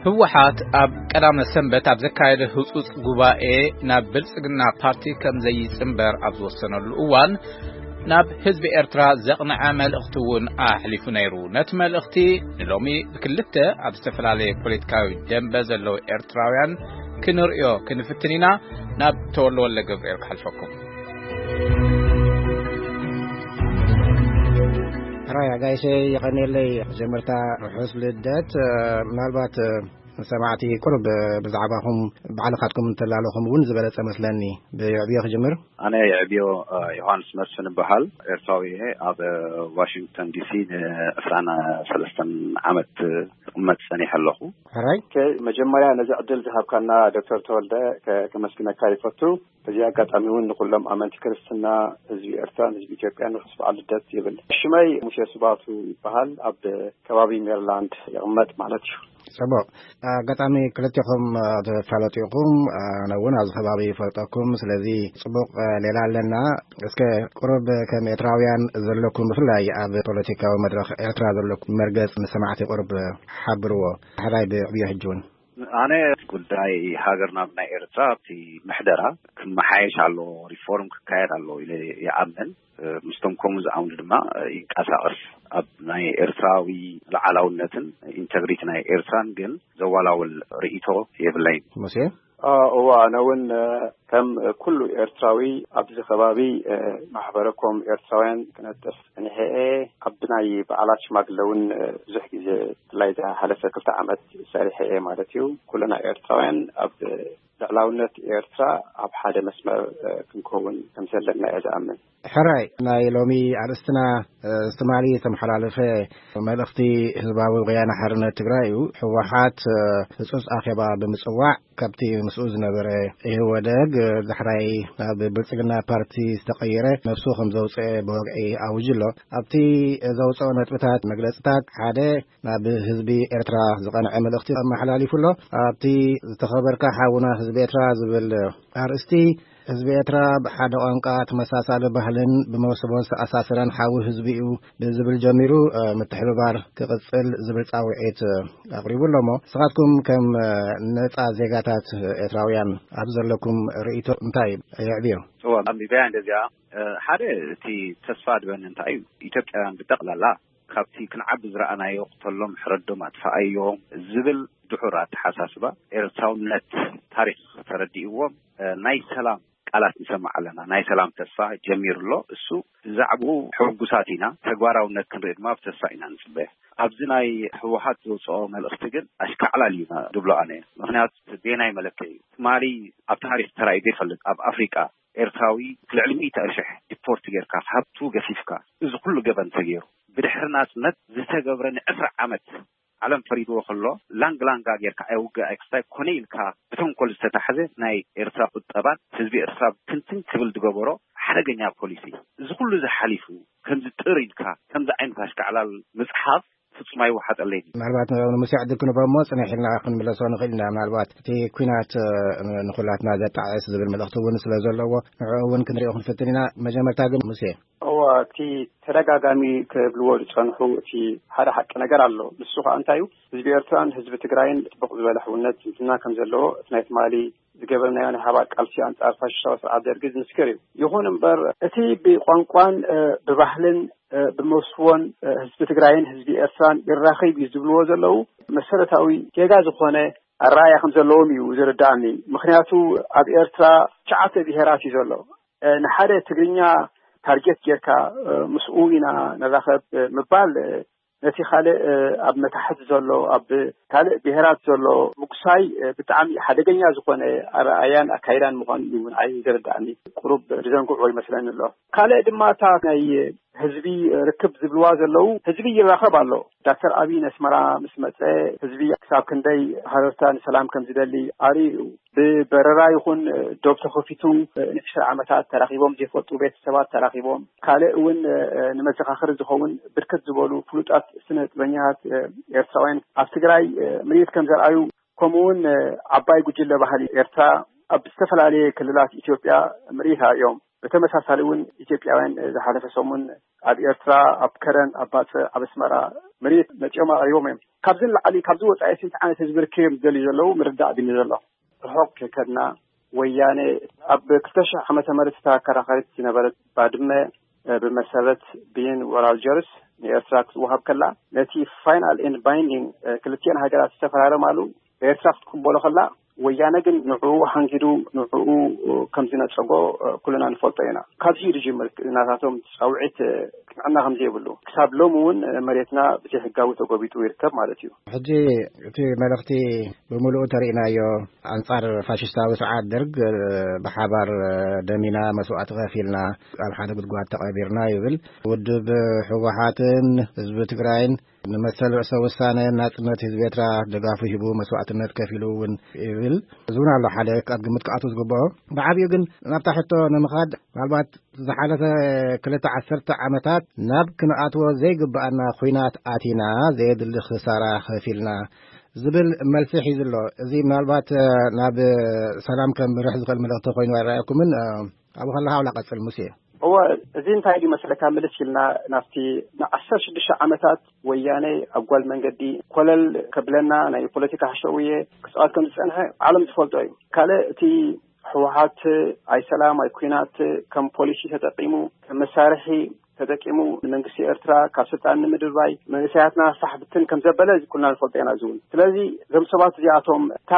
ህወሓት ኣብ ቀዳመ ሰንበት ኣብ ዘካየደ ህጹጽ ጉባኤ ናብ ብልጽግና ፓርቲ ከም ዘይጽንበር ኣብ ዝወሰነሉ እዋን፣ ናብ ህዝቢ ኤርትራ ዘቕንዐ መልእኽቲ እውን ኣሕሊፉ ነይሩ። ነቲ መልእኽቲ ንሎሚ ብክልተ ኣብ ዝተፈላለየ ፖለቲካዊ ደንበ ዘለዉ ኤርትራውያን ክንርእዮ ክንፍትን ኢና። ናብ ተወልደ ወልደ ገብርኤል ክሓልፈኩም። ሕራይ ኣጋይሸ፣ የቐንየለይ። መጀመርታ ርሑስ ልደት። ምናልባት ሰማዕቲ ቁሩብ ብዛዕባኹም ባዕልኻትኩም እንተላለኹም እውን ዝበለጸ መስለኒ። ብየዕብዮ ክጅምር። ኣነ የዕብዮ ዮሃንስ መስፍን እበሃል። ኤርትራዊ እየ። ኣብ ዋሽንግተን ዲሲ ንዕስራን ሰለስተን ዓመት ክቕመጥ ጸኒሐ ኣለኹ። ሕራይ። መጀመርያ ነዚ ዕድል ዝሃብካና ዶክተር ተወልደ ከመስግነካ ይፈቱ። በዚ ኣጋጣሚ እውን ንኩሎም ኣመንቲ ክርስትና፣ ህዝቢ ኤርትራን ህዝቢ ኢትዮጵያን ርሑስ በዓል ልደት ይብል። ሽመይ ሙሴ ስባቱ ይበሃል። ኣብ ከባቢ ሜሪላንድ ይቕመጥ ማለት እዩ። ጽቡቕ። ኣጋጣሚ ክልቴኹም ትፋለጡ ኢኹም። ኣነ እውን ኣብዚ ከባቢ ይፈልጠኩም። ስለዚ ጽቡቕ ሌላ ኣለና። እስከ ቁሩብ ከም ኤርትራውያን ዘለኩም፣ ብፍላይ ኣብ ፖለቲካዊ መድረኽ ኤርትራ ዘለኩም መርገጽ ንሰማዕቲ ቁሩብ ሓብርዎ። ሕራይ ብዕብዮ ሕጂ እውን። ኣነ ጉዳይ ሃገርና ናይ ኤርትራ ኣብቲ ምሕደራ ክመሓየሽ ኣሎ፣ ሪፎርም ክካየድ ኣሎ ኢለ ይኣምን። ምስቶም ከምኡ ዝኣምኑ ድማ ይንቀሳቐስ። ኣብ ናይ ኤርትራዊ ልዓላውነትን ኢንተግሪቲ ናይ ኤርትራን ግን ዘዋላውል ርእይቶ የብለይን። ሙሴ? እዋ፣ ኣነ እውን ከም ኩሉ ኤርትራዊ ኣብዚ ከባቢ ማሕበረኮም ኤርትራውያን ክነጥፍ ጸኒሐ እየ። ኣብ ናይ በዓላት ሽማግለ እውን ብዙሕ ግዜ፣ ብፍላይ ዝሓለፈ ክልተ ዓመት ሰሪሐ እየ ማለት እዩ። ኩልና ኤርትራውያን ኣብ ልዕላውነት ኤርትራ ኣብ ሓደ መስመር ክንከውን ከም ዘለና እየ ዝኣምን። ሕራይ፣ ናይ ሎሚ ኣርእስትና ትማሊ ዝተመሓላለፈ መልእኽቲ ህዝባዊ ወያነ ሓርነት ትግራይ እዩ። ህወሓት ህጹጽ ኣኼባ ብምጽዋዕ፣ ካብቲ ምስኡ ዝነበረ ኢህወደግ ዳሕራይ ናብ ብልጽግና ፓርቲ ዝተቐየረ ነብሱ ከም ዘውፅአ ብወግዒ ኣውጅ ኣሎ። ኣብቲ ዘውፅኦ ነጥብታት፣ መግለፅታት ሓደ ናብ ህዝቢ ኤርትራ ዝቐንዐ መልእኽቲ ኣመሓላሊፉ ኣሎ። ኣብቲ ዝተኸበርካ ሓውና ህዝቢ ኤርትራ ዝብል ኣርእስቲ፣ ህዝቢ ኤርትራ ብሓደ ቋንቋ፣ ተመሳሳሊ ባህልን ብመሰቦን ዝተኣሳሰረን ሓው ህዝቢ እዩ ብዝብል ጀሚሩ፣ ምትሕብባር ክቕጽል ዝብል ጻውዒት ኣቕሪቡ ኣሎ። እሞ ንስኻትኩም ከም ነጻ ዜጋታት ኤርትራውያን ኣብ ዘለኩም ርእይቶ እንታይ የዕብዮ? እዋ፣ ኣንቢበያ እንደዚኣ። ሓደ፣ እቲ ተስፋ ድበኒ እንታይ እዩ፣ ኢትዮጵያውያን ብጠቕላላ ካብቲ ክንዓቢ ዝረኣናዮ፣ ቅተሎም፣ ሕረዶም፣ ኣጥፍኣዮም ዝብል ድሑር ኣተሓሳስባ፣ ኤርትራውነት ታሪኽ ተረዲእዎም፣ ናይ ሰላም ቃላት ንሰምዕ ኣለና። ናይ ሰላም ተስፋ ጀሚሩ ኣሎ። እሱ ብዛዕባኡ ሕጉሳት ኢና። ተግባራውነት ክንርኢ ድማ ብተስፋ ኢና ንጽበ። ኣብዚ ናይ ህወሓት ዘውፅኦ መልእኽቲ ግን ኣሽካዕላል እዩ ድብሎ ኣነ። ምኽንያቱ፣ ቤናይ መለክዒ እዩ። ትማሊ ኣብ ታሪኽ ተራእዩ ዘይፈልጥ፣ ኣብ ኣፍሪቃ ኤርትራዊ ልዕሊ ሚእቲ ሽሕ ዲፖርት ጌርካ፣ ሃብቱ ገፊፍካ፣ እዚ ኩሉ ገበን ተገይሩ፣ ብድሕሪ ናጽነት ዝተገብረ ንዕስራ ዓመት ዓለም ፈሪድዎ ከሎ፣ ላንግ ላንጋ ጌርካ፣ ኣይ ውግእ ኣይ ክስታይ ኮነ ኢልካ ብተንኮል ዝተታሕዘ ናይ ኤርትራ ቁጠባን ህዝቢ ኤርትራ ብትንትን ክብል ዝገበሮ ሓደገኛ ፖሊሲ። እዚ ኩሉ እዚ ሓሊፉ፣ ከምዚ ጥር ኢልካ፣ ከምዚ ዓይነት ኣሽካዕላል ምጽሓፍ ፍጹም ኣይወሓጠለይን። ምናልባት ንሙሴ ዕድል ክንቦ እሞ፣ ጽንሕ ኢልና ክንምለሶ ንኽእል ኢና። ምናልባት እቲ ኲናት፣ እ፣ ንኹላትና ዘጣዕስ ዝብል መልእኽቲ እውን ስለ ዘለዎ፣ ንዕኡ እውን ክንሪኦ ክንፍትን ኢና። መጀመርታ ግን ሙሴ። እዋ፣ እቲ ተደጋጋሚ ክብልዎ ዝጸንሑ እቲ ሓደ ሓቂ ነገር ኣሎ። ንሱ ከኣ እንታይ እዩ? ህዝቢ ኤርትራን ህዝቢ ትግራይን ጽቡቕ ዝበለ ሕውነት ዝምድና ከም ዘለዎ፣ እቲ ናይ ትማሊ ዝገበርናዮ ናይ ሓባር ቃልሲ ኣንጻር ፋሽስታዊ ስርዓት ደርጊ ዝምስክር እዩ። ይኹን እምበር፣ እቲ ብቋንቋን፣ እ፣ ብባህልን፣ እ፣ ብመስዎን፣ እ፣ ህዝቢ ትግራይን ህዝቢ ኤርትራን ይራኸብ እዩ ዝብልዎ ዘለዉ፣ መሰረታዊ ጌጋ ዝኾነ ኣረኣእያ ከም ዘለዎም እዩ ዝርድኣኒ። ምኽንያቱ፣ ኣብ ኤርትራ ትሽዓተ ብሄራት እዩ ዘሎ። እ፣ ንሓደ ትግርኛ ታርጌት ጌርካ፣ እ፣ ምስኡ ኢና ንራኸብ፣ እ፣ ምባል፣ እ፣ ነቲ ካልእ፣ እ፣ ኣብ መታሕት ዘሎ፣ ኣብ ካልእ ብሄራት ዘሎ ምጉሳይ፣ እ፣ ብጣዕሚ ሓደገኛ ዝኾነ ኣረኣእያን ኣካይዳን ምዃኑ እዩ ንዓይ ዝርድኣኒ። ቁሩብ ዝዘንግዕዎ ይመስለኒ ኣሎ። ካልእ ድማ እታ ናይ ህዝቢ ርክብ ዝብልዋ ዘለዉ፣ ህዝቢ ይራኸብ ኣሎ። ዳክተር ኣብይ ነስመራ ምስ መጸ፣ ህዝቢ ክሳብ ክንደይ ሃረርታ ንሰላም ከም ዝደሊ ኣርእዩ እዩ። ብበረራ ይኹን ዶብ ተኸፊቱ፣ ንዕስራ ዓመታት ተራኺቦም ዘይፈልጡ ቤተሰባት ተራኺቦም፣ ካልእ እውን ንመዘኻኸሪ ዝኸውን ብርክት ዝበሉ ፍሉጣት ስነ ጥበኛታት ኤርትራውያን ኣብ ትግራይ ምርኢት ከም ዘርኣዩ፣ ከምኡ እውን ዓባይ ጉጅለ ባህሊ ኤርትራ ኣብ ዝተፈላለየ ክልላት ኢትዮጵያ ምርኢት ኣርእዮም። ብተመሳሳሊ እውን ኢትዮጵያውያን ዝሓለፈ ሰሙን ኣብ ኤርትራ፣ ኣብ ከረን፣ ኣብ ባጽዕ፣ ኣብ ኣስመራ መሬት መጺኦም ኣቕሪቦም እዮም። ካብዚ ንላዕሊ፣ ካብዚ ወጻኢ ስንት ዓይነት ህዝቢ ርክብ እዮም ዝደልዩ ዘለዉ ምርዳእ ድዩ ዘሎ? ርሑቕ ከይከድና፣ ወያነ ኣብ ክልተ ሽሕ ዓመተ ምህረት እታ ኣከራኻሪት ዝነበረት ባድመ፣ እ፣ ብመሰረት ብይን ኦራል ጀርስ ንኤርትራ ክትወሃብ ከላ፣ ነቲ ፋይናል ኤንድ ባይንዲንግ፣ እ፣ ክልቲኤን ሃገራት ዝተፈራረማሉ ኤርትራ ክትቅበሎ ከላ፣ ወያነ ግን ንዕኡ ሃንጊዱ፣ ንዕኡ ከም ዝነጸጎ፣ እ፣ ኩልና ንፈልጦ ኢና። ካብዚ እዩ ዝጅምር ናታቶም ጻውዒት፣ እ፣ ቅንዕና ከም ዘይብሉ። ክሳብ ሎሚ እውን፣ እ፣ መሬትና ብዘይ ሕጋዊ ተጎቢጡ ይርከብ ማለት እዩ። ሕጂ እቲ መልእኽቲ ብምሉኡ ተሪእናዮ። ኣንጻር ፋሽስታዊ ስርዓት ደርግ፣ እ፣ ብሓባር፣ እ፣ ደሚና፣ መስዋእቲ ከፊልና፣ ኣብ ሓደ ጉድጓድ ተቐቢርና ይብል። ውድብ ህወሓትን ህዝቢ ትግራይን ንመሰል ርእሰ ውሳነ ናጽነት ህዝቢ ኤርትራ ደጋፉ ሂቡ መስዋእትነት ከፊሉ እውን ይብል። እዚ እውን ኣሎ ሓደ ኣብ ግምት ክኣቱ ዝግብኦ። ብዓቢኡ ግን ናብታ ሕቶ ንምኻድ፣ ምናልባት ዝሓለፈ ክልተ ዓሰርተ ዓመታት ናብ ክንኣትዎ ዘይግብኣና ኹናት ኣቲና፣ ዘየድሊ ክሳራ ከፊልና ዝብል መልሲ ሒዙ ኣሎ። እዚ ምናልባት፣ እ፣ ናብ ሰላም ከምርሕ ዝኽእል መልእኽቲ ኮይኑ ኣይረኣየኩምን? እ፣ ኣብኡ ከለኻ ዋላ ቀጽል ሙሴ። እወ፣ እዚ እንታይ ድዩ መሰለካ፣ ምልስ ኢልና ናብቲ ንዓሰርተ ሽዱሽተ ዓመታት ወያነ ኣብ ጓል መንገዲ ኮለል ከብለና ናይ ፖለቲካ ሓሸውየ ክጻወት ከም ዝጸንሐ ዓለም ዝፈልጦ እዩ። ካልእ እቲ ህወሓት ኣይ ሰላም ኣይ ኲናት ከም ፖሊሲ ተጠቂሙ፣ ከም መሳርሒ ተጠቂሙ ንመንግስቲ ኤርትራ ካብ ስልጣን ንምድርባይ፣ መንእሰያትና ፋሕ ብትን ከም ዘበለ እዚ ኩልና ንፈልጦ ኢና። እዚ እውን ስለዚ እዞም ሰባት እዚኣቶም እታ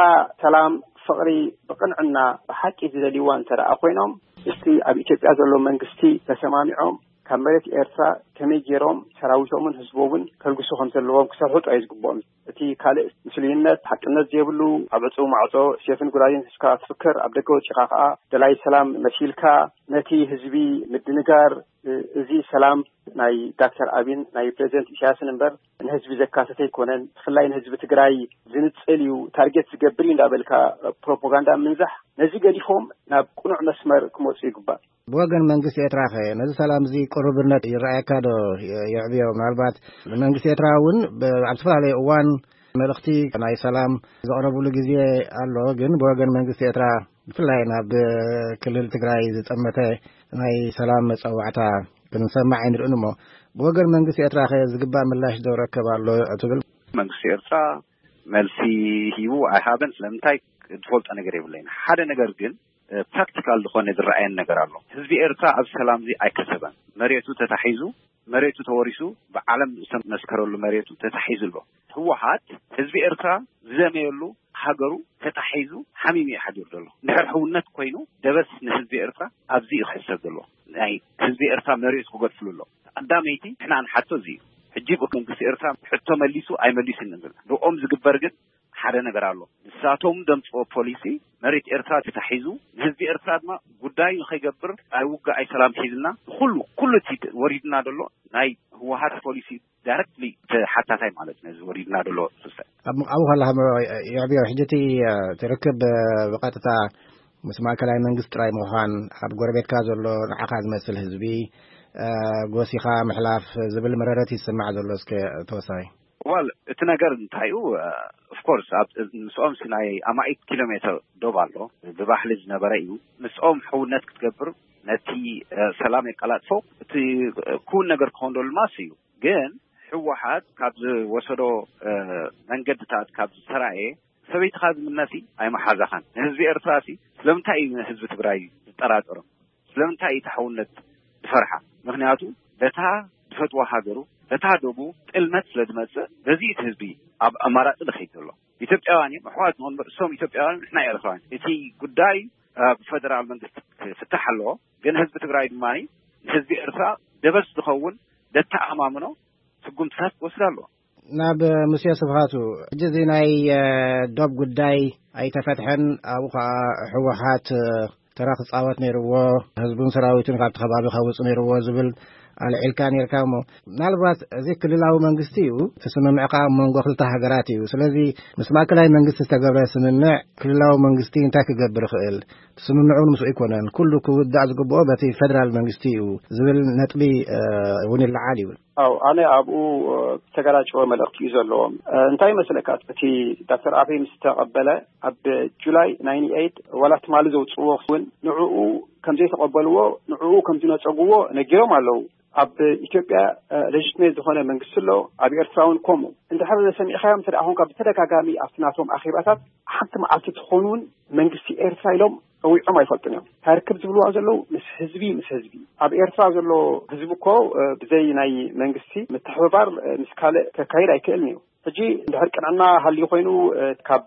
ሰላም፣ ፍቕሪ፣ ብቕንዕና ብሓቂ ዝደልይዋ እንተ ደኣ ኮይኖም፣ እስቲ ኣብ ኢትዮጵያ ዘሎ መንግስቲ ተሰማሚዖም ካብ መሬት ኤርትራ ከመይ ገይሮም ሰራዊቶምን ህዝቦምን ከልግሱ ከም ዘለዎም ክሰርሑ ጥራይ ዝግብኦም። እቲ ካልእ ምስሉይነት፣ ሓቅነት ዘይብሉ፣ ኣብ ዕጹው ማዕጾ ሴፍን ጉራዴን ሒዝካ ትፍክር፣ ኣብ ደገ ወጺኻ ከኣ ደላይ ሰላም መሲልካ ነቲ ህዝቢ ምድንጋር፣ እ-፣ እዚ ሰላም ናይ ዳክተር ኣቢን ናይ ፕሬዚደንት ኢሳያስን እምበር ንህዝቢ ዘካተተ ኣይኮነን። ብፍላይ ንህዝቢ ትግራይ ዝንጽል እዩ፣ ታርጌት ዝገብር እዩ እንዳበልካ ፕሮፓጋንዳ ምንዛሕ፣ ነዚ ገዲፎም ናብ ቅኑዕ መስመር ክመጹ ይግባእ። ብወገን መንግስቲ ኤርትራ ኸ ነዚ ሰላም እዚ ቅሩብነት ይረኣየካ ዶ? የ-፣ የዕብዮ? ምናልባት ንመንግስቲ ኤርትራ እውን ብ-፣ ኣብ ዝተፈላለየ እዋን መልእኽቲ ናይ ሰላም ዘቕረብሉ ግዜ ኣሎ። ግን ብወገን መንግስቲ ኤርትራ ብፍላይ ናብ ክልል ትግራይ ዝጠመተ ናይ ሰላም መጸዋዕታ ክንሰማዕ ኣይንርእን እሞ፣ ብወገን መንግስቲ ኤርትራ ኸ ዝግባእ ምላሽ ዶ ረከብ ኣሎ ትብል? መንግስቲ ኤርትራ መልሲ ሂቡ ኣይሃበን፣ ስለምንታይ ዝፈልጦ ነገር የብለይን። ሓደ ነገር ግን፣ እ፣ ፕራክቲካል ዝኾነ ዝረኣየን ነገር ኣሎ። ህዝቢ ኤርትራ ኣብ ሰላም እዚ ኣይከሰበን። መሬቱ ተታሒዙ፣ መሬቱ ተወሪሱ፣ ብዓለም ዝተመስከረሉ መሬቱ ተታሒዙ ኣሎ። ህወሓት ህዝቢ ኤርትራ ዝደመየሉ ሃገሩ ተታሒዙ ሓሚሙ እዩ ሓዲሩ ዘሎ። እንድሕር ሕውነት ኮይኑ ደበስ ንህዝቢ ኤርትራ ኣብዚ እዩ ክሕሰብ ዘሎ። ናይ ህዝቢ ኤርትራ መሬቱ ክገድፍሉ ኣሎ። ቀዳመይቲ ንሕና ንሓቶ እዚ እዩ። ሕጂ መንግስቲ ኤርትራ ሕቶ መሊሱ ኣይመሊሱን ንብል። ብኦም ዝግበር ግን ሓደ ነገር ኣሎ። ንሳቶም ደምፅኦ ፖሊሲ መሬት ኤርትራ ተታሒዙ፣ ንህዝቢ ኤርትራ ድማ ጉዳይ ንኸይገብር፣ ኣይ ውግእ ኣይ ሰላም ሒዝና፣ ኩሉ፣ ኩሉ እቲ ወሪድና ዘሎ ናይ ህወሓት ፖሊሲ ዳይረክትሊ ተሓታታይ ማለት ነዚ ወሪድና ዘሎ ክስተ። ኣብ ምቕኣቡ ከለኻ ሞ-፣ የዕብዮ፣ ሕጂ እቲ፣ እ፣ ትርክብ፣ እ፣ ብቐጥታ ምስ ማእከላይ መንግስቲ ጥራይ ምዃን፣ ኣብ ጎረቤትካ ዘሎ ንዓኻ ዝመስል ህዝቢ፣ እ፣ ጎሲኻ ምሕላፍ ዝብል መረረት ይስማዕ ዘሎ። እስከ ተወሳኺ። ዋል፣ እቲ ነገር እንታይ እዩ? ኦፍኮርስ፣ ኣብ ምስኦም ሲ ናይ ኣማኢት ኪሎ ሜትር ዶብ ኣሎ። ብባህሊ ዝነበረ እዩ። ምስኦም ሕውነት ክትገብር፣ ነቲ፣ እ፣ ሰላም የቀላጥፎ፣ እቲ፣ እ፣ ክውን ነገር ክኸውን ደሉ ማስ እዩ። ግን ህወሓት ካብ ዝወሰዶ፣ እ፣ መንገድታት ካብ ዝተራእየ፣ ሰበይትኻ ዝምነሲ ኣይመሓዛኻን። ንህዝቢ ኤርትራ ሲ ስለምንታይ እዩ ንህዝቢ ትግራይ ዝጠራጠሮም? ስለምንታይ እዩ ተሓውነት ዝፈርሓ? ምኽንያቱ በታ ዝፈትዋ ሃገሩ፣ በታ ዶቡ ጥልመት ስለ ዝመጽእ፣ በዚ እቲ ህዝቢ ኣብ ኣማራጺ ዝኸይድ ዘሎ። ኢትዮጵያውያን እዮም፣ ኣሕዋት ንኹን እምበር፣ እሶም ኢትዮጵያውያን፣ ንሕና ኤርትራውያን። እቲ ጉዳይ ኣብ ፈደራል መንግስቲ ክፍታሕ ኣለዎ። ግን ህዝቢ ትግራይ ድማ ንህዝቢ ኤርትራ ደበስ ዝኸውን ዘተኣማምኖ ስጉምትታት ክወስድ ኣለዎ። ናብ ሙሴ ስብሃቱ፣ ሕጂ እዚ ናይ፣ እ፣ ዶብ ጉዳይ ኣይተፈትሐን፣ ኣብኡ ኸዓ ህወሓት፣ እ፣ ተራ ክጻወት ነይርዎ፣ ህዝቡን ሰራዊቱን ካብቲ ከባቢ ከውጽእ ነይርዎ ዝብል ኣልዒልካ ነይርካ እሞ፣ ምናልባት እዚ ክልላዊ መንግስቲ እዩ፣ እቲ ስምምዕ ከዓ ኣብ መንጎ ክልተ ሃገራት እዩ። ስለዚ ምስ ማእከላይ መንግስቲ ዝተገብረ ስምምዕ ክልላዊ መንግስቲ እንታይ ክገብር ይኽእል? እቲ ስምምዕ እውን ምስኡ ኣይኮነን። ኩሉ ክውዳእ ዝግብኦ በቲ ፌደራል መንግስቲ እዩ ዝብል ነጥቢ፣ እ፣ እውን ይለዓል ይብል። ኣው፣ ኣነ ኣብኡ፣ እ፣ ዝተገላጨወ መልእኽቲ እዩ ዘለዎም። እ፣ እንታይ ይመስለካ? እቲ ዳክተር ኣብይ ምስ ተቐበለ ኣብ ጁላይ ናይንቲ ኤይት ዋላ ትማሊ ዘውፅዎ እውን ንዕኡ ከም ዘይተቐበልዎ፣ ንዕኡ ከም ዝነፀግዎ ነጊሮም ኣለዉ። ኣብ ኢትዮጵያ ለጅትሜት ዝኾነ መንግስቲ ኣሎ፣ ኣብ ኤርትራ እውን ከምኡ። እንድሕር ሰሚዕካዮም እንተ ደኣ ኾንካ፣ ብተደጋጋሚ ኣብቲ ናቶም ኣኼባታት ሓንቲ መዓልቲ ትኾኑ እውን መንግስቲ ኤርትራ ኢሎም ጸዊዖም ኣይፈልጡን እዮም። እንታይ ርክብ ዝብልዋ ዘለዉ ምስ ህዝቢ፣ ምስ ህዝቢ። ኣብ ኤርትራ ዘሎ ህዝቢ እኮ ብዘይ ናይ መንግስቲ ምትሕብባር ምስ ካልእ ከካይድ ኣይክእልን እዩ። ሕጂ እንድሕር ቅንዕና ሃልዩ ኮይኑ ካብ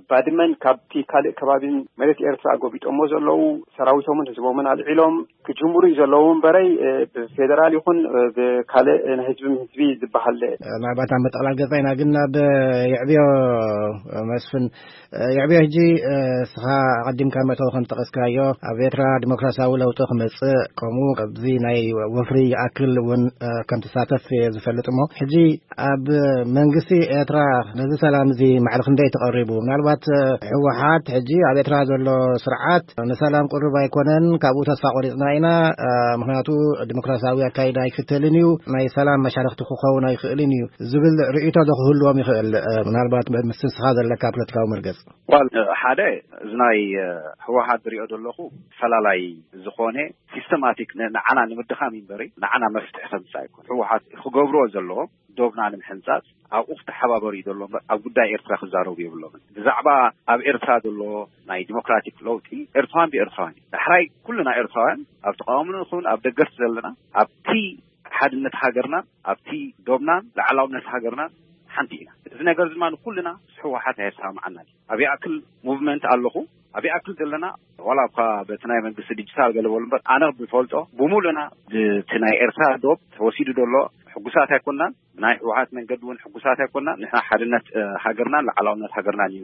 ባድመን ካብቲ ካልእ ከባቢን መሬት ኤርትራ ጎቢጦሞ ዘለዉ ሰራዊቶምን ህዝቦምን ኣልዒሎም ክጅምሩ እዩ ዘለዉ እምበረይ፣ ብፌደራል ይኹን ብካልእ ናይ ህዝቢ ህዝቢ ዝበሃል። ምናልባት ኣብ ምጥቕላል ገጻ ኢና፣ ግን ናብ የዕብዮ መስፍን፣ የዕብዮ፣ ሕጂ እስኻ ኣቐዲምካ መእተዊ ከም ዝጠቐስካዮ፣ ኣብ ኤርትራ ዲሞክራሲያዊ ለውጢ ክመጽእ፣ ከምኡ ኣብዚ ናይ ወፍሪ ይኣክል እውን ከም ትሳተፍ እየ ዝፈልጥ። እሞ ሕጂ ኣብ መንግስቲ ኤርትራ ነዚ ሰላም እዚ ማዕረ ክንደይ ተቐሪቡ? ምናልባት ህወሓት ሕጂ ኣብ ኤርትራ ዘሎ ስርዓት ንሰላም ቅሩብ ኣይኮነን፣ ካብኡ ተስፋ ቆሪጽና ኢና፣ ምኽንያቱ ዲሞክራሲያዊ ኣካይዳ ኣይክተልን እዩ፣ ናይ ሰላም መሻርኽቲ ክኸውን ኣይኽእልን እዩ ዝብል ርእይቶ ዶ ክህልዎም ይኽእል? ምናልባት ምስ ንስኻ ዘለካ ፖለቲካዊ መርገጽ። ዋል፣ ሓደ፣ እዚ ናይ ህወሓት ዝሪኦ ዘለኹ ፈላላይ ዝኾነ ሲስተማቲክ ን-፣ ንዓና ንምድኻም እዩ እምበሪ ንዓና መፍትሒ ከምጽእ ኣይኮን። ህወሓት ክገብርዎ ዘለዎ ዶብና ንምሕንጻጽ ኣብኡ ክተሓባበሩ እዩ ዘሎ እምበር ኣብ ጉዳይ ኤርትራ ክዛረቡ የብሎምን። ብዛዕባ ኣብ ኤርትራ ዘሎ ናይ ዲሞክራቲክ ለውጢ ኤርትራውያን ብኤርትራውያን እዩ። ዳሕራይ ኩልና ኤርትራውያን ኣብ ተቃውሞ ንኹን ኣብ ደገፍቲ ዘለና ኣብቲ ሓድነት ሃገርናን ኣብቲ ዶብናን ላዕላውነት ሃገርናን ሓንቲ ኢና። እዚ ነገር ድማ ንኩልና ምስ ህወሓት ኣየሰማምዓናን እዩ። ኣብ ይኣክል ሙቭመንት ኣለኹ፣ ኣብ ይኣክል ዘለና ዋላ እኳ በቲ ናይ መንግስቲ ዲጂታል ገለ በሉ እምበር ኣነ ብፈልጦ ብሙሉእና ብቲ ናይ ኤርትራ ዶብ ተወሲዱ ዘሎ ሕጉሳት ኣይኮናን። ናይ ህወሓት መንገዲ እውን ሕጉሳት ኣይኮናን። ንሕና ሓድነት ሃገርናን ላዕላውነት ሃገርናን እዩ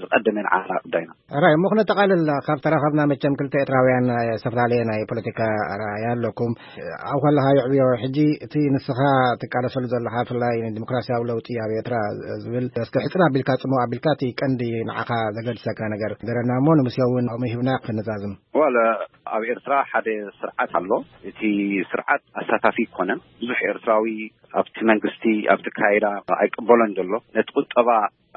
ዝቐደመ ንዓና ጉዳይና። ሕራይ እሞ ክነጠቓልል፣ ካብ ተራኸብና መቸም ክልተ ኤርትራውያን ዝተፈላለየ ናይ ፖለቲካ ኣረኣእያ ኣለኩም። ኣብ ከለኻ የዕብዮ፣ ሕጂ እቲ ንስኻ ትቃለሰሉ ዘለኻ ብፍላይ ንዲሞክራሲያዊ ለውጢ ኣብ ኤርትራ ዝብል እስከ ሕጽር ኣቢልካ ጽምው ኣቢልካ እቲ ቀንዲ ንዓኻ ዘገድሰካ ነገር ንገረና እሞ ንሙሴ እውን ከምኡ ሂብና ክንዛዝም። ዋለ ኣብ ኤርትራ ሓደ ስርዓት ኣሎ። እቲ ስርዓት ኣሳታፊ ኣይኮነን። ብዙሕ ኤርትራዊ ኣብቲ መንግስቲ ኣብቲ ካይዳ ኣይቅበሎን ዘሎ። ነቲ ቁጠባ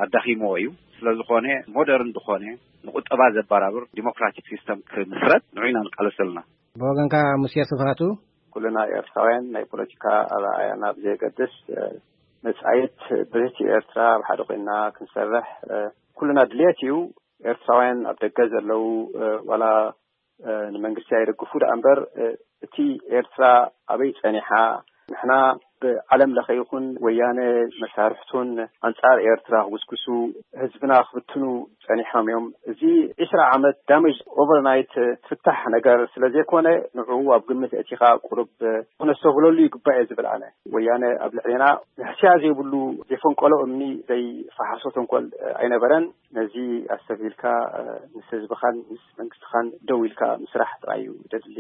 ኣዳኺምዎ እዩ። ስለዝኾነ ሞደርን ዝኾነ ንቁጠባ ዘበራብር ዲሞክራቲክ ሲስተም ክምስረት ንዑ ኢና ንቃለስ ዘለና። ብወገንካ ሙሴ ስብሃቱ? ኩልና ኤርትራውያን ናይ ፖለቲካ ኣረኣእያና ብዘየገድስ መጻኢት ብርህቲ ኤርትራ ኣብ ሓደ ኮይና ክንሰርሕ ኩልና ድልየት እዩ። ኤርትራውያን ኣብ ደገ ዘለዉ ዋላ ንመንግስቲ ኣይደግፉ ደኣ እምበር እቲ ኤርትራ ኣበይ ጸኒሓ ንሕና ብዓለም ለኸ ይኹን ወያነ መሳርሕቱን ኣንጻር ኤርትራ ክጉስጉሱ ህዝብና ክብትኑ ጸኒሖም እዮም። እዚ ዒስራ ዓመት ዳሜጅ ኦቨርናይት ትፍታሕ ነገር ስለ ዘይኮነ ንዕኡ ኣብ ግምት ኣእቲኻ ቁሩብ ክነስተብህለሉ ይግባእ እየ ዝብል ኣነ። ወያነ ኣብ ልዕሌና ንሕስያ ዘይብሉ ዘይፈንቀሎ እምኒ ዘይፈሓሶ ተንኮል ኣይነበረን። ነዚ ኣስተብሂልካ ምስ ህዝብኻን ምስ መንግስትኻን ደው ኢልካ ምስራሕ ጥራይ እዩ ደድሊ።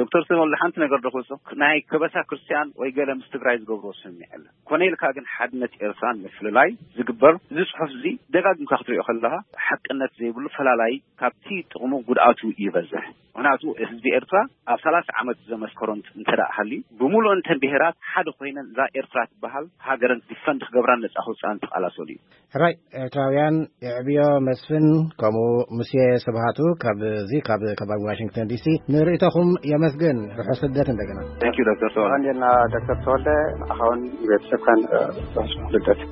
ዶክተር ተወልደ ሓንቲ ነገር ዶ ክወጽኦ ናይ ከበሳ ክርስቲያን ወይ ገለ ምስ ትግራይ ዝገብርዎ ስምምዕ የለን። ኮነ ኢልካ ግን ሓድነት ኤርትራን ምፍልላይ ዝግበር እዚ ጽሑፍ እዚ ደጋግምካ ክትሪኦ ከለኻ ሓቅነት ዘይብሉ ፈላላይ ካብቲ ጥቕሙ ጉድኣቱ ይበዝሕ። ምኽንያቱ ህዝቢ ኤርትራ ኣብ ሰላሳ ዓመት ዘመስከሮ እንተ ደኣ ሃልዩ ብምሉእን ተን ብሄራት ሓደ ኮይነን እዛ ኤርትራ ትበሃል ሃገረን ዲፈንድ ክገብራን ነጻ ክውጽኣን ተቓላሰሉ እዩ። ሕራይ ኤርትራውያን የዕብዮ መስፍን ከምኡ ሙሴ ስብሃቱ ካብዚ ካብ ከባቢ ዋሽንግተን ዲሲ ንርእይቶኹም የመስግን። ርሑስ ልደት እንደገና። Thank you ዶክተር ተወልደ። ቀንዴልና ዶክተር ተወልደ ንዓኻውን ንቤተሰብካን ርሑስ ልደት።